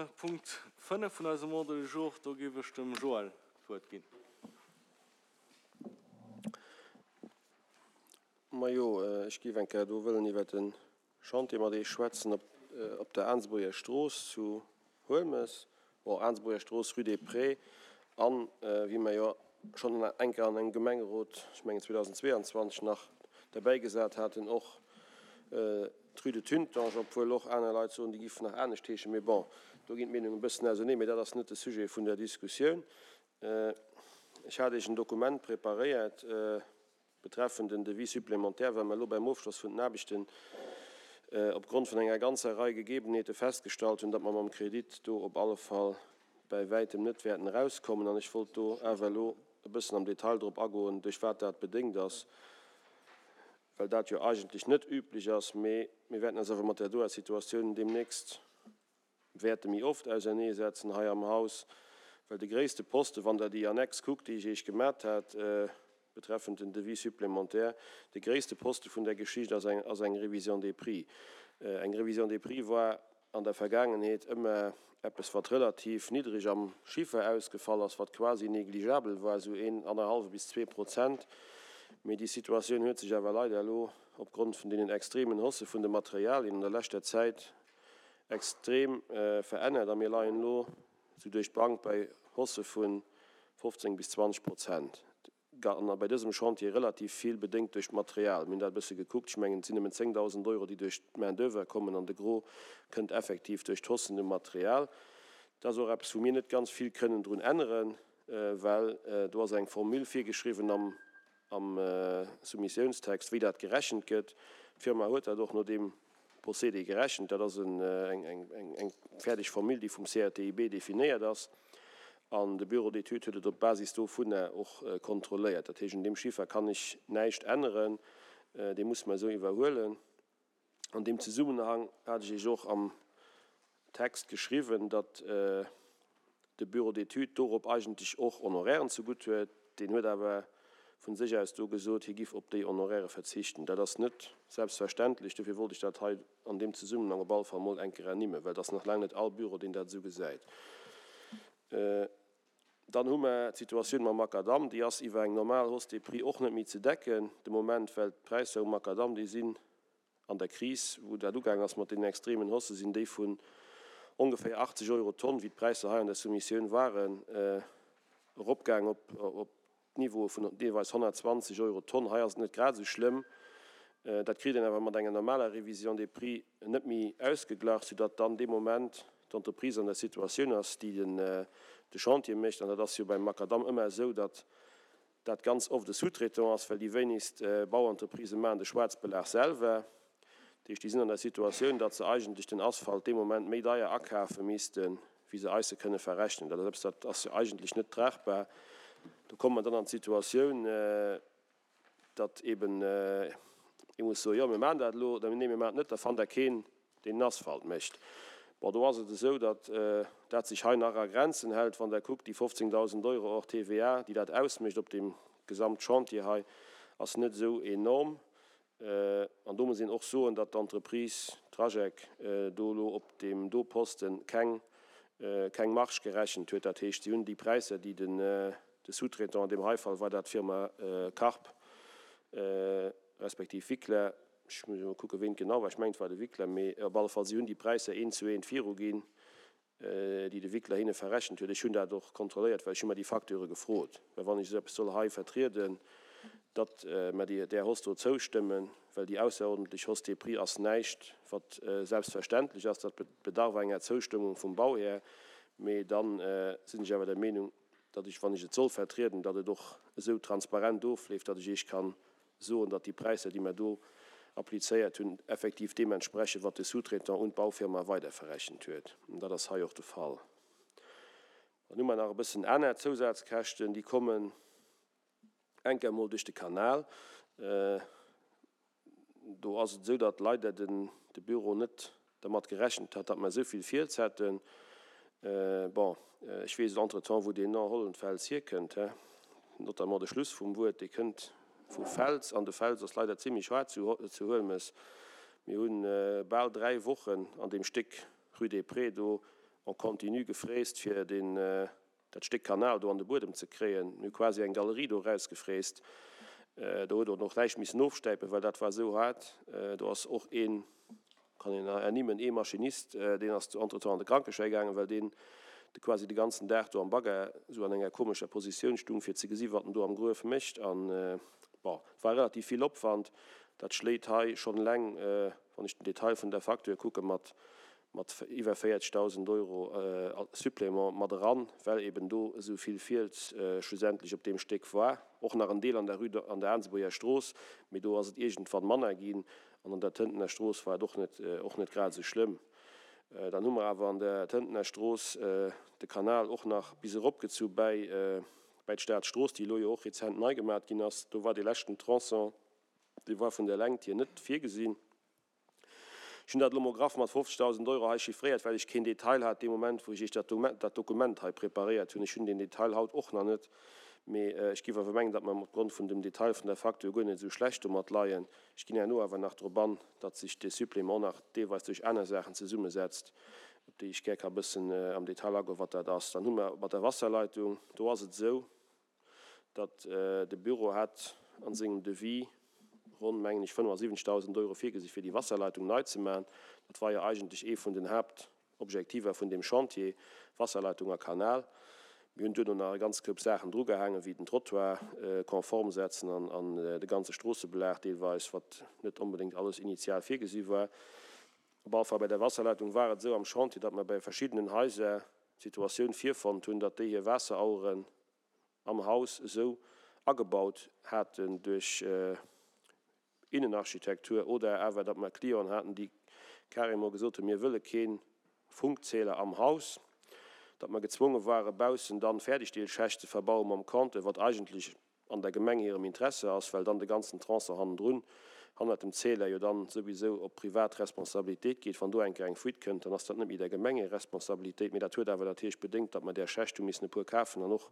Punkt 5 vun eisem Ordre du jour. Do géif ech dem Joël d'Wuert ginn. Majo, ech géif eng Kéier do wëllen iwwert e Chantier mat Iech schwätzen op der Aensbuerger Strooss zu Huelmes, bon, Aensbuerger Strooss, rue des Prés, an wéi mer jo schonn eng Kéier an engem Gemengerot, ech mengen 2022 nach, derbäigesat haten, och D'Rue de Tuntange, obwuel och aner Leit soen, déi giff nach anescht heeschen, mee bon, do ginn d'Meenungen e bëssen ausenee, mee dat ass net de Sujet vun der Diskussioun. Ech hat Iech en Dokument preparéiert betreffend den Devis supplémentaire, well mer elo beim Ofschloss vun den Aarbechten opgrond vun enger ganzer Rei Gegebenheete festgestallt hunn, datt mer mam Kredit do op alle Fall bäi wäitem net wäerten erauskommen. An ech wollt do awer elo e bëssen am Detail drop agoen, duerch wat dat bedéngt ass. well dat jo eigentlech net üblech ass, mee mir wäerten eis awer mat där doer Situatioun deemnächst wäerte méi oft auserneesetzen hei am Haus, well de gréisste Poste, wann Der déi Annex kuckt, déi ech Iech gemat hat betreffend den Devis supplémentaire, de gréisste Poste vun där Geschicht ass eng ass eng Révision des prix. Eng Révision des prix war an der Vergaangenheet ëmmer eppes wat relativ niddreg am Chiffer ausgefall ass, wat quasi négligeabel war, esou een annerhallwe bis 2%. Mee déi Situatioun huet sech awer leider elo opgrond vun deenen extremen Haussë vun de Materialien an der leschter Zäit extrem verännert a mir leien elo esou duerch d'Bank bei Haussë vu 15 bis 20 Prozent. An bei dësem Chantier relativ vill, bedéngt duerch d'Material. Mir hunn dat e bësse gekuckt. Ech mengen, et sinn nëmmen 10.000 Euro, déi duerch d'Main d'oeuvre kommen, an de Gros kënnt effektiv duerch d'Haussen um Material. Dat ass och eppes, wou mir net ganz vill kënnen drun änneren, well do ass eng Formule virgeschriwwen am am Soumissiounstext, wéi dat gerechent gëtt. D'Firma huet dat och no deem Procédé gerechent. Dat ass eng fäerdeg Formule, déi vum CRTIB definéiert ass. An de Bureau d'études huet et op Basis dovunner och kontrolléiert. Dat heescht, un deem Chiffer kann ech näischt änneren. Dee musse mer esou iwwerhuelen. An deem Zesummenhang hat ech Iech och am Text geschriwwen, datt de Bureau d'études dorop eigentlech och Honorairen zegutt huet. Deen huet awer vu sech aus do gesot, hie giff op déi Honoraire verzichten. Dat ass net selbstverständlech. Dofir wollt ech dat hei an deem Zesummenhang op alle Fall mol eng Kéier ernimmen, well et ass nach laang net all Bureau, deen dat esou gesäit. Dann hu mer d'Situatioun mam Makadamm. Déi ass iwwer eng normal Hausse des prix och net méi ze decken de Moment, well d'Präisser um Makadamm, déi sinn An der Kris, wou dat ugaang ass mat deenen extremen Haussë, sinn déi vun ongeféier 80 Euro d'Tonn, wéi d'Präisser hei an der Soumissioun waren, eropgaang op d'Niveaue vun deelweis 120 Euro d'Tonn. Hei ass et net grad esou schlëmm. Dat kritt een awer mat enger normaler Révision des prix net méi ausgeglach, soudatt dann dee Moment d'Entreprise an der Situatioun ass, déi de Chantier mécht. An dat ass jo beim Makadamm ëmmer esou, datt dat ganz oft e Sous-traitant ass, well déi wéinegst Bauentreprisë maachen de Schwaarzbelag selwer. Dat heescht, déi sinn an der Situatioun, datt se eigentlech den Asphalt dee Moment méi deier akafe missten, wéi se eis e kënne verrechnen. Dat ass eppes, dat ass jo eigentlech net tragbar. Do komme mer dann an d'Situatioun, datt eeben ee muss soen, jo mir maachen dat elo, oder nee mir maachen et net, da fannt Der keen, deen den Asphalt mécht. Bon, do ass et esou, datt dat sech hei nach a Grenzen hält. Wann Der kuckt, déi 15.000 Euro hors TVA, déi dat ausmécht op deem Gesamtchantier hei, ass net esou enorm. An do muss een och soen, datt d'Entreprise Trajec do elo op deem do Posten keng, keng Marge gerechent huet. Dat heescht, si hunn déi Präisser, déi den, de Sous-traitant, an deem hei Fall war dat d'Firma Karp respektiv Wickler, Ech muss emol kucken, ween et genau war. Ech mengen, et war de Wickler. Mee op alle Fall, si hunn déi Präisser eent zu eent viruginn, déi de Wickler hinne verrechent huet. Ech hunn dat och kontrolléiert, well ech hu mer déi Facture gefrot. Well wann ech esou eppes soll hei vertrieden, datt mer déi där Hausse do zoustëmmen, well déi ausserordentlech Hausse des prix ass näischt, wat selbstverständlech ass, dat bedarf enger Zoustëmmung vum Bauhär. Mee da sinn ech awer der Meenung, datt ech, wann ech et soll vertrieden, datt et och esou transparent ofleeft, datt ech Iech kann soen, datt déi Präisser, déi mer do applizéiert hunn, effektiv deem entsprechen, wat de Sous-traitant un d'Baufirma weiderverrechent huet. An dat ass hei och de Fall. Dann hu mer nach e bëssen aner Zousazkäschten, déi kommen enk emol duerch de Kanal. Do ass et esou, datt leider de Büro net dermat gerechent hat, datt mer esou vill Fiels hätten. Bon, ech weess entretemps, wou deen Nom Hollenfels hierkënnt, he, notamment de Schluss vum Wuert, dee kënnt vu Fels, an de Fels ass leider zimlech haart zu Huelmes. Mir hu bal 3 Wochen an deem Stéck Rue des Prés do. en continu gefräst, fir deen, dat Stéck Kanal do an de Buedem ze kréien. Mir hu quasi eng Galerie do erausgefräst. Do huet och näischt missen ofstäipen, well dat war esou haart. Do ass och een, kann een ernimmen, ee Maschinist, deen ass entretemps an de Krankeschäi gaangen, well deen de quasi de ganzen Dag do am Bagger esou an enger komescher Positioun stung, fir ze gesi wat en do am Gruef mécht. An bon, et war relativ vill Opwand. Dat schléit hei schonn eleng, wann ech den Detail vun der Facture kucken, mat mat iwwer 40.000 Euro Supplément mat eran, well eben do esou vill Fiels schlussendlech op deem Stéck war. Och nach en Deel an der Rue, an der Aansebuerger Strooss, mee do ass et iergendwann manner ginn. An an der Tëntener Strooss war et och net, och net grad esou schlëmm. Dann hu mer awer an der Tëntener Strooss de Kanal och nach bis eropgezu bäi, bäi d'Staatsstrooss, déi elo jo och rezent nei gemat ginn ass. Do war dee leschten Tronçon, dee war vun der Längt hier net virgesinn. Ech hunn dat elo mol graff mat 50.000 Euro hei chiffréiert, well ech keen Detail hat dee Moment, wou ech Iech dat Dokument hei preparéiert hunn. Ech hunn deen Detail haut och nach net, mee ech géif awer mengen, datt mer opgrond vun dem Detail vun der Facture guer net esou schlecht domat leien. Ech ginn herno awer nach drop an, datt sech dee Supplément nach deelweis duerch aner Saachen zesummesetzt, op déi ech gär ka bëssen am Detail agoen, wat dat ass. Dann hu mer mat der Wasserleitung, do ass et esou, datt de Büro hat a sengem Devis ronn, mengen ech, 75.000 Euro virgesi fir déi Wasserleitung nei ze maachen. Dat war jo eigentlech ee vun den Haaptobjektiver vun deem Chantier, Wasserleitung a Kanal. Mir hunn duerno nach e ganz Koup Saachen drugehaangen, wéi den Trottoir konform setzen an de ganze Stroossebelag deelweis, wat net onbedéngt alles initial virgesi war. Op alle Fall bei der Wasserleitung war et esou am Chantier, datt mer bei verschiddenen Haiser d'Situatioun virfonnt hunn, datt déi hir Waasseraueren am Haus esou agebaut haten duerch Innenarchitektur oder awer datt mer Clienten haten, déi carrément gesot hunn, mir wëlle kee Funkzähler am Haus, datt mer gezwonge ware baussen dann Fäerdegdeelschächt ze verbaue mam Compteur, wat eigentlech an der Gemeng hirem Interesse ass, well dann de ganzen Tronçon hannendrun, hannert dem Zähler, jo dann souwisou op privat Responsabilitéit geet. Wann do eng Kéier eng Fuite kënnt, dann ass dat net méi der Gemeng hir Responsabilitéit. Mee dat huet awer natierlech bedéngt, datt mer där Schächt hu missen e puer kafen an och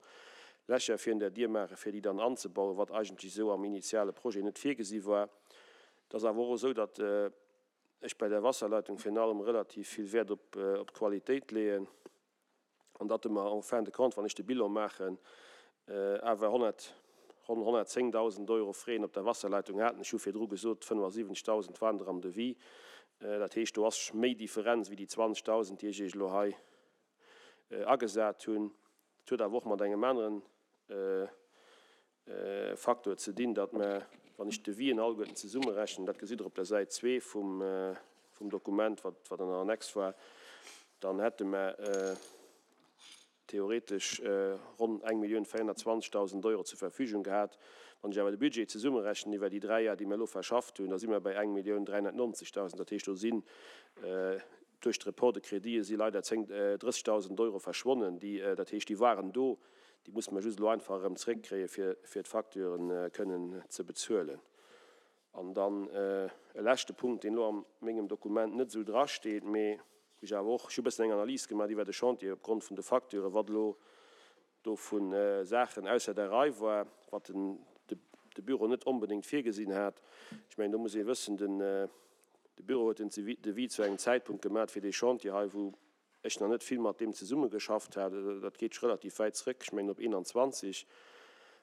Lächer virun der Dier maachen, fir déi dann anzebauen, wat eigentlech esou am initiale Projet net virgesi war. Et ass awer och esou, datt ech bei der Wasserleitung virun allem relativ vill Wäert op d'Qualitéit leeën. an datt mer en fin de compte, wann ech de Bilan maachen, awer 100, ronn 110.000 Euro Frais op der Wasserleitung haten. Ech hu virdru gesot, 75.000 waren der am Devis. Dat heescht, do ass méi Differenz wéi déi 20.000, déi ech Iech elo hei agesat hunn. Dat huet awer och mat engem aneren Faktor ze dinn, datt mer, wann ech d'Devisen alleguerten zesummerechnen, dat gesitt Der op der Säit zwee vum Dokument, wat an der Annex war, dann hätte mer theoretesch ronn 1.420.000 Euro zur Verfügung gehat. Wann ech awer de Budget zesummerechnen iwwer déi dräi Jar, déi mer elo verschafft hunn, da si mer bei 1.390.000. Dat heescht, do sinn duerch d'Report de crédite si leider 30.000 Euro verschwonnen, déi, dat heescht, déi waren do, Déi musse mer just elo einfach erëm zréckkréien, fir d'Facturen kënnen ze bezuelen. An dann e leschte Punkt, deen elo a mengem Dokument net esou drasteet, mee wou ech awer och, ech hu e bëssen eng Analys gemaach iwwer de Chantier opgrond vun de Facturen, wat elo do vu Saachen ausser der Rei war, wat de Büro net onbedéngt virgesinn hat. Ech mengen, do muss ee wëssen, de Büro huet den Devis zu engem Zäitpunkt gemaach fir dee Chantier hei, wou ech nach net vill mat deem zesummegeschafft hat, dat geet relativ wäit zrëck, ech mengen op 21,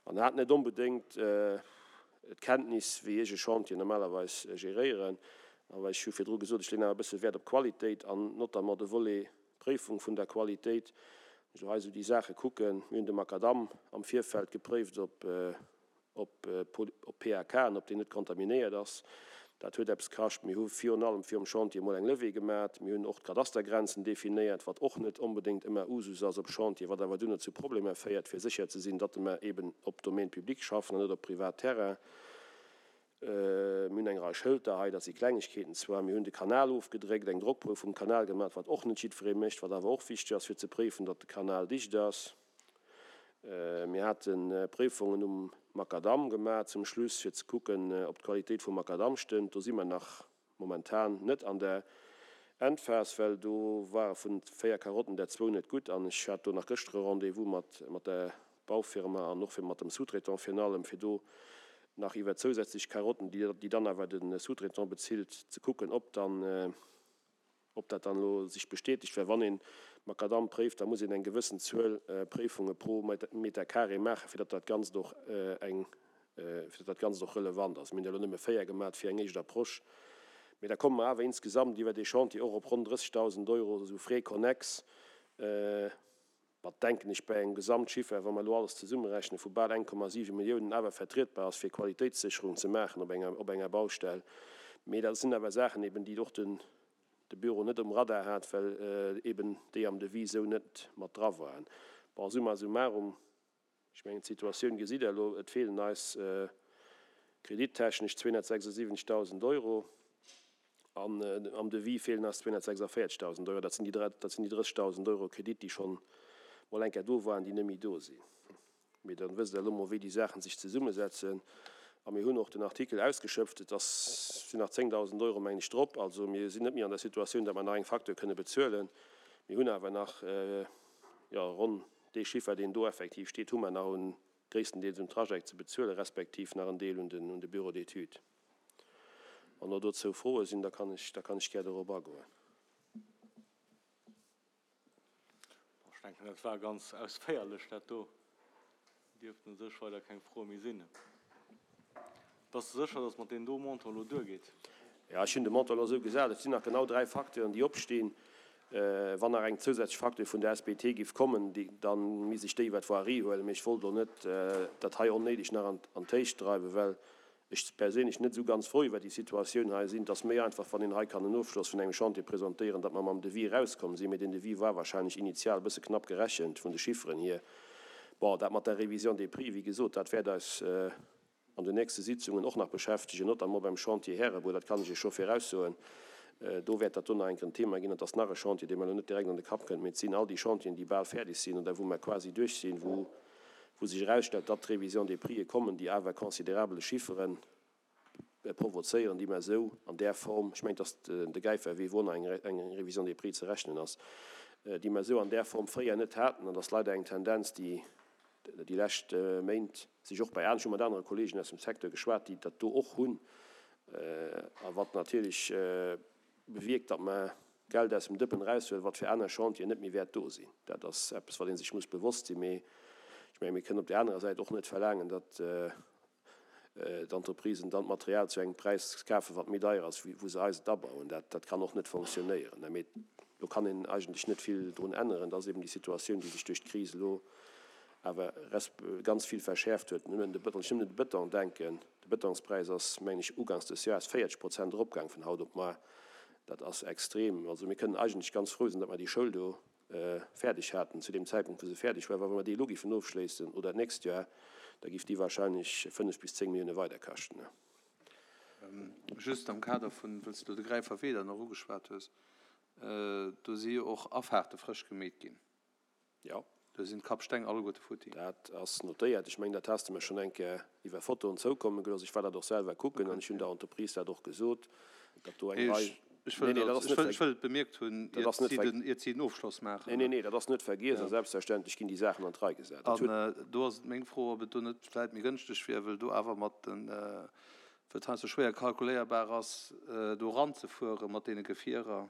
an hat net onbedéngt d'Kenntnis, wéi ech e Chantier normalerweis geréieren. Awer ech hu virdru gesot, ech leeën awer e bësse Wäert op Qualitéit an notamment de Volet Préifung vun der Qualitéit. Wann ech elo hei esou déi Saache kucken, mir hunn de Makadamm am Virfeld gepréift op op PAK an ob deen net kontaminéiert ass. Dat huet eppes kascht. Mir hu virun allem virum Chantier emol eng Levée gemat. Mir hunn och d'Kadastergrenzen definéiert, wat och net onbedéngt ëmmer Usus ass op Chantier, wat awer dunne zu Problemer féiert, fir sécher ze sinn, datt mer eben op Domaine public schaffen an net op Privatterrain. Mir hunn eng Rei Schëlter hei, dat si Klengegkeeten zwar. Mir hunn de Kanal ofgedréckt, eng Drockprouf vum Kanal gemat, wat och net jiddweree mécht, wat awer och wichteg ass, fir ze préifen, datt de Kanal dicht ass. Mir hate Préifungen um Makadamm gemaach zum Schluss, fir ze kucken, ob d'Qualitéit vum Makadamm stëmmt. Do si mer nach momentan net an der Endphas, well do ware vun 4 Karotten der zwou net gutt. An ech hat do nach gëschter e Rendez-vous mat mat der Baufirma an och fir mat dem Sous-traitant virun allem, fir do nach iwwer zousätzlech Karotten, déi dann awer de Sous-traitant bezilt, ze kucken, ob dann, Ob dat dann elo sech bestätegt, well wann ee Makadamm préift, da muss een eng gewëssen Zuel Préifunge pro Meter carré maachen, fir datt dat Ganzt och eng, fir datt dat Ganzt och relevant ass. Mir hunn der elo nëmme 4 gemat fir eng éischt Approche, mee da komme mer awer insgesamt iwwer dee Chantier och op ronn 30.000 Euro esou Frais connexes, wat, denken ech, bei engem Gesamtchiffer, wa mer elo alles zesummerechnen, vu bal 1,7 Milliounen awer vertrietbar ass, fir Qualitéitssécherung ze maachen op enger, op enger Baustell. Mee dat sinn awer Saachen eben, déi och den de Büro net um Radar hat, well eben déi am Devis esou net mat dra waren. Bon, summa summarum, ech mengen d'Situatioun gesitt Der elo, et feelen eis kredittechnesch 276.000 Euro an am Devis feelen eis 246.000 Euro. Dat sinn déi, dat sinn déi 30.000 Euro Kredit, déi schonn mol eng Kéier do waren, déi net méi do sinn. Mee dann wësst Der elo mol, wéi déi Saachen sech zesummesetzen. A mir hunn och den Artikel ausgeschöpft. Et ass, sinn nach 10.000 Euro, mengen ech, drop. Also mir sinn net méi an der Situatioun, datt mer nach eng Facture kënne bezuelen. Mir hunn awer nach, jo, ronn dee Chiffer, deen do effektiv steet, hu mer nach un, gréisstendeels um Trajet ze bezuelen, respektiv nach en Deel un den, un de Bureau d'études. Wann elo dozou Froe sinn, da kann ech, da kann ech gär dorop agoen. Ech denken, dat war ganz ausféierlech, dat do. Dierften u sech weider keng Froe méi sinn. Bass de sécher, datt mat deem do Montant elo duergeet? Jo, ech hunn de Montant elo esou gesat. Et sinn nach genau 3 Facteuren, déi opstinn. Wann nach eng zousätzlech Facture vun der SBT géif kommen, da misst ech déi iwwer d'Voirie huelen. Mee ech wollt elo net dat hei onnéideg nach an d'Héicht dreiwen, well ech perséinlech net esou ganz frou iwwer déi Situatioun hei sinn. Et ass méi einfach, wann een hei kann en Ofschloss vun engem Chantier presentéieren, datt mer mam Devis erauskomm sinn. Mee deen Devis war wahrscheinlech initial e bësse knapp gerechent vun de Chifferen hier. Bon, dat mat der Révision des prix, wéi gesot, dat wäert eis an den nächste Sitzungen och nach beschäftegen, notamment beim Chantier Härebuer, dat kann ech Iech scho viraussoen. Do wäert dat do nach eng Kéier en Thema ginn. Et ass nach e Chantier, dee mer elo net direkt an de Kapp kënnt, mee et sinn all déi Chantieren, déi bal fäerdeg sinn oder wou mer quasi duerch sinn, wou wou sech erausstellt, datt d'Révision des prixë kommen, déi awer considerabele Chiffere provozéieren, déi mer esou an där Form, ech mengen, datt de Gäiferwee, wou och nach eng Révision des prix ze rechnen ass, déi mer esou an där Form fréier net haten. An dat ass leider eng Tendenz, déi déi lescht Méint sech och bei, ech hu mat anere Kollegen aus dem Secteur geschwat, déi dat do och hunn, a wat natierlech bewierkt, datt mer Geld aus dem Dëppen eraushuelen, wat fir aner Chantieren net méi wäert do sinn. Dat ass eppes, wat ee sech muss bewosst sinn. Mee ech menge mir kënnen op där anerer Säit och net verlaangen, datt d'Entreprisen dann d'Material zu engem Präis kafen, wat méi deier ass, wéi wou se eis et abauen. Dat, dat kann och net fonctionnéieren. Mee do kann een eigentlech net vill drun änneren. Dat ass eben déi Situatioun, déi sech duerch d'Kris elo awer resp. Ganz vill verschäerft huet. Nëmmen de, wann ech nëmmen un de Bëton denken, de Bëtonspräis ass, mengen ech, ugangs des Jahres 40 Prozent eropgaang vun haut op mar. Dat ass extrem. Also mir kënnen eigentlech ganz frou sinn, datt mer déi Schoul do fäerdeg haten zu deem Zäitpunkt, wou se fäerdeg war. Well wa mer déi elo géifen ofschléissen oder d'nächst Joer, da géif déi wahrscheinlech 5 bis 10 Millioune weider kaschten. Just am Kader vun, wëll s de elo de Gräiferwee dann och ugeschwat hues, do si jo och Afahrte frësch gemeet ginn. Jo. Do sinn d'Kappsteng alleguerte futti. Dat ass notéiert. Ech mengen, dat has de mer schonn eng Kéier iwwer Fotoen zoukomme gelooss. Ech war dat och selwer kucken an ech hunn der Entreprise dat och gesot, datt do eng Rei. Ech wëll et, ech wëll et bemierkt hunn, iert si den Ofschloss maachen. Nee, nee, nee, dat ass net vergiess a selbstverständlech ginn déi Saachen an d'Rei gesat. An do ass et meng Fro, ob et do net vläicht méi gënschteg wier, wëll do awer mat den, wëll et heiansdo schwéier kalkuléierbar ass, do eranzefuere mat deene Gefierer.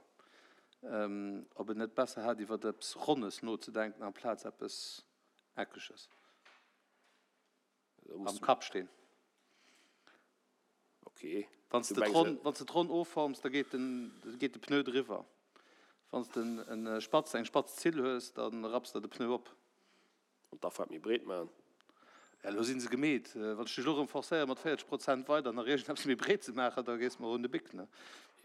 Ob en net besser hätt iwwert eppes Ronnes nozedenken amplaz eppes Eckeges am Kappsteen. Wann s de et ronn offorms, da geet de Pneu driwwer. Wann s de en spatz, eng spatz Zill hues, da rapps der de Pneu op. An d'Afaart méi breet maachen. Ja, elo si se gemeet. Wann ech dech elo erëm forcéiere mat 40 Prozent weider nach iergendeppes méi breet ze maachen, da gees de mer un de Bic, ne?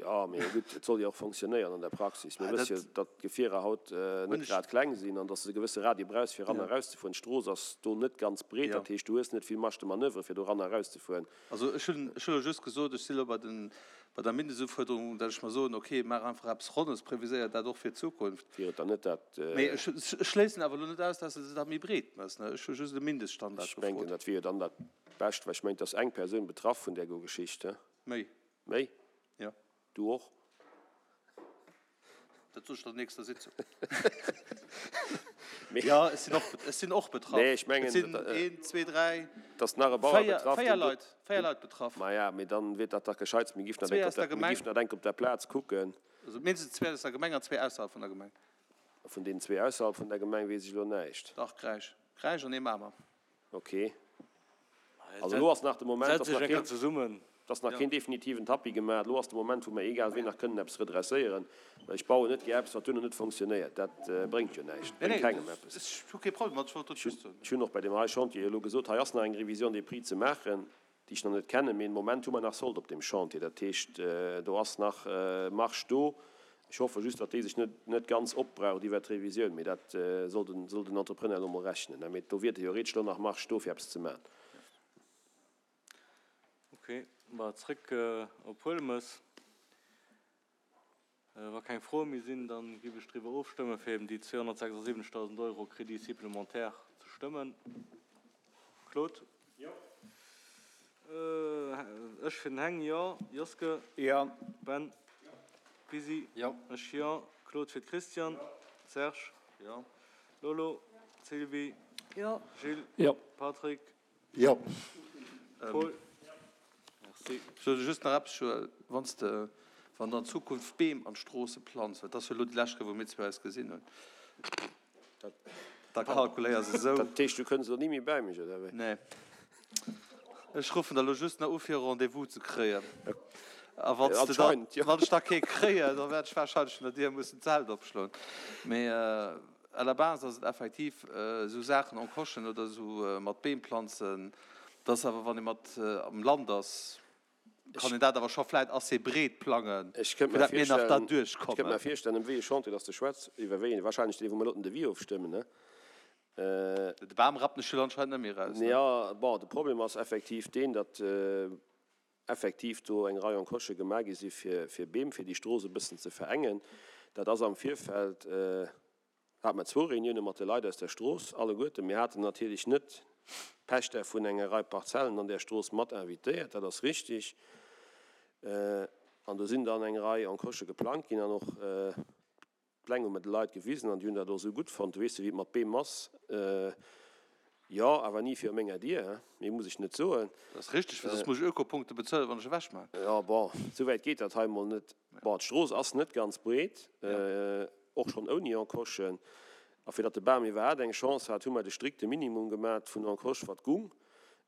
Jo, mee gutt, et soll jo och fonctionnéieren an der Praxis. Mir wësse jo, datt d'Gefierer haut net grad kleng sinn an datt s de e gewësse Radie brauchs, fir eran a erauszefueren. D'Strooss ass do net ganz breet, dat heescht, du hues net vill Marge de manoeuvre, fir do eran a erauszefueren. Also ech hunn, ech hunn elo just gesot, ech si elo bei den, bei der Mindestufuerderung, datt ech mer soen, okay, maach einfach eppes Ronnes, previséier dat och fir d'Zukunft. Wier et dann net dat. Mee ech, ech schléissen awer elo net aus, datt s de se da méi breet méchs, ne? Ech hu just e Mindeststandard Ech mengen, gefrot. dat wier jo dann dat Bescht, well ech mengen, et ass eng Persoun betraff vun där go Geschicht, he? Méi. Méi? Jo. Du och? Dat sot ech der nächster Sitzung. Jo, ech sinn och, ech sinn och betraff. Nee, ech mengen, Et sinn een, zwee, dräi, dass nach e Bauer betraff, véier Leit, véier Leit betraff. Maja, mee dann wier dat dach gescheits, mir giffen dat enk op der, mir giffen dat enk op der Plaz kucken. Also mindestens zwee aus der Gemeng an zwee ausserhalb vun der Gemeng. Vun deenen zwee ausserhalb vun der Gemeng weess ech elo näischt. Dach, Gräisch. Gräisch an ee Mamer. Ok. Also elo ass nach de Moment, dass nach keen, dass nach keen definitiven Tapis gemaach. Elo ass de Moment, wou mer egal wéi nach kënnen eppes redresséieren. Well ech bauen net gär eppes, wat duerno net fonctionnéiert. Dat bréngt jo näischt, bréngt kengem eppes. Ech hu kee Problem mat, ech wollt dat just soen. Ech hunn och bei deem hei Chantier elo gesot, hei ass nach eng Révision des prix ze maachen, déi ech nach net kennen, mee den Moment hu mer nach Solde op deem Chantier. Dat heescht, do ass nach Marge do. Ech hoffe just, datt déi sech net net ganz opbraucht iwwert d'Revisioun, mee dat soll den soll den Entrepreneur elo mol rechnen. Mee do wier theoretesch elo nach Marge do fir eppes ze maachen. Ok, ma zréck op Huelmes. Wa keng Froe méi sinn, da géif ech driwwer ofstëmmen, fir eben déi 276.000 Euro Crédit supplémentaire ze stëmmen. Claude? Jo. Ech fir den Heng, jo. Joske? Jo. Ben? Jo. Bisi? Jo. Ech, jo. Claude fir d'Christiane? Jo. Serge? Jo. Lolo? Sylvie? Jo. Gilles? Jo. Patrick? Jo. Paul? Merci. Ech wëll just nach eppes soen, Wann s de, wann der an Zukunft Beem an d'Stroosse planz, well et ass jo elo déi lescht Kéier, wou mir zwee eis gesinn hunn, da kalkuléier se esou. Dat heescht, du kënns elo ni méi bäi mech, oder wéi? Nee. Ech ruffen der elo just nach u fir e Rendez-vous ze kréien. A wann s de da, wann ech da kee kréien, da wäert ech wahrscheinlech vun der Dier mussen d'Zelt opschloen. Mee. À la base ass et effektiv esou Saachen encochen oder esou mat Beem planzen, dass awer wann ee mat am Land ass, kann een dat awer scho vläit assez breet plangen, Ech kënnt fir mer dat mir nach virstellen, derduerch ech kënnt kommen. mer virstellen, ëm wéi ee Chantier dass de schwätz, iwwer wéi een, wahrscheinlech dee wou mer elo den Devis ofstëmmen, ne? De Bam rappen ech jo anscheinend net méi eraus, ne? Jo, bon, de Problem ass effektiv deen, datt effektiv do eng Rei Encoche gemaach gi si fir Beem, fir déi Strooss e bëssen ze verengen. Dat ass am Virfeld, hate mer zwou Reunioune mat de Leit aus der Strooss alleguerten. Mir haten natierlech net d'Pächter vun enger Rei Parzellen an där Strooss mat invitéiert, dat ass richtig. An do sinn dann eng Rei Encochë geplangt ginn an och D'Pläng hu mer de Leit gewisen an déi hunn dat och esou gutt fonnt. Du weess jo, wéi et mat Beem ass. Jo, awer ni viru menger Dier, hein? Méi muss ech net soen. Dat ass richteg, well soss muss ech Ökopunkte bezuelen, wann ech ewech maachen. Jo, bon, esou wäit geet dat hei emol net. Bon, d'Strooss ass net ganz breet, och schonn ouni Encochen. A fir datt de Bam iwwerhaapt eng Chance hat, hu mer de strikte Minimum gemat vun Encoche, wat gung.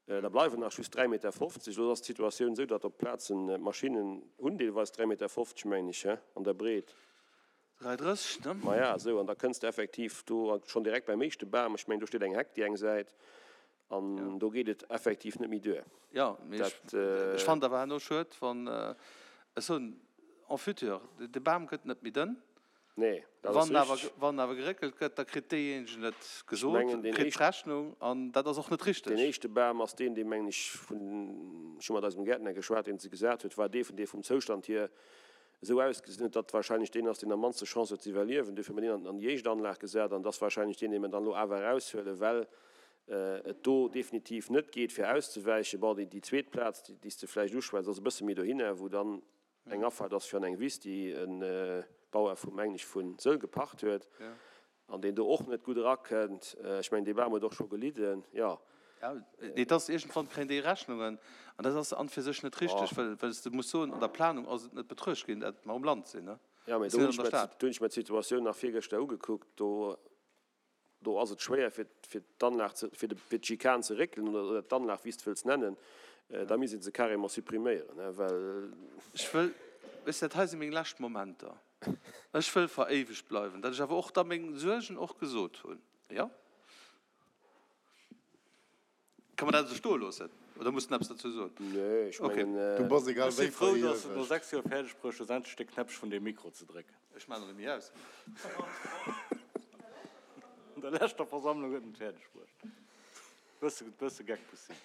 Da bleiwen nach just 3,50 Meter. Elo ass d'Situatioun esou, datt op Plazen d'Maschinnen hunn deelweis 3,50 Meter, mengen ech, he, an der Breet. 3,30, ne? Maja, esou, an da kënns de effektiv do schonn direkt beim éischte Bam, ech mengen, do steet eng Heck déi eng Säit, an do geet et effektiv net méi duer. Jo, mee ech fannen et awer herno schued, wann, ech soen, en futur, de Bam gëtt net méi dënn, Nee, dat ass Wann awer, richtig. wann awer geréckelt gëtt, da kritt deejéinegen et Ech gesot, mengen, deen kritt éischt, d'Rechnung, an dat ass och net deen richtig. éischte Bam ass deen, dee mengen ech vun, ech hu mat eisem Gäertner geschwat, deen se gesat huet, war dee vun dee vum Zoustand hier esou ausgesinn huet, datt wahrscheinlech deen ass, deen am mannste Chance huet ze iwwerliewen. Duerfir hu mer deen an, an déi éischt Anlag gesat an et ass wahrscheinlech deen, dee mer dann elo awer eraushuelen, well et do definitiv net geet fir auszewäichen. Bon, déi, déi zweet Plaz, déi, déi s de vläicht uschwätz, ass e bësse méi dohinner, wou dann Eng Afaart ass fir an eng Wiss, déi e Bauer vu, mengen ech, vu Sëll gepacht huet an deen do och net gutt erakënnt. Ech mengen, dee Bam huet och scho gelidden, jo. Jo, mee et ass, iergendwann kréien déi Rechnungen an dat ass an fir sech net richteg, well, well s de muss soen, an der Planung ass et net betruecht ginn, dat mer um Land sinn, ne? Jo, mee do hunn ech mer, do hunn ech mer d'Situatioun nach virgëschter ugekuckt. Do Do ass et schwéier fir fir d'Anlag ze, fir de, fir d'Schikane ze réckelen oder, oder d'Anlag, wéi s de wëlls nennen. Da misst ee se carrément suppriméieren, hein, well. Ech wëll, weess de, dat hei si meng lescht Momenter. Ech wëll veréiwegt bleiwen, dat ech awer och da meng Suergen och gesot hunn, jo. Ka mer dat esou stoe loossen oder muss den eppes dozou soen? Nee, ech mengen. Du bass egal Ech si wéi frou, dass de et no veréiwegt. 6 Joer fäerdeg bruecht hues, endlech de Knäppche vun deem Mikro ze drécken. Ech maachen en net méi aus. An der leschter Versammlung huet en et fäerdeg bruecht. Bësse, bësse Geck muss sinn.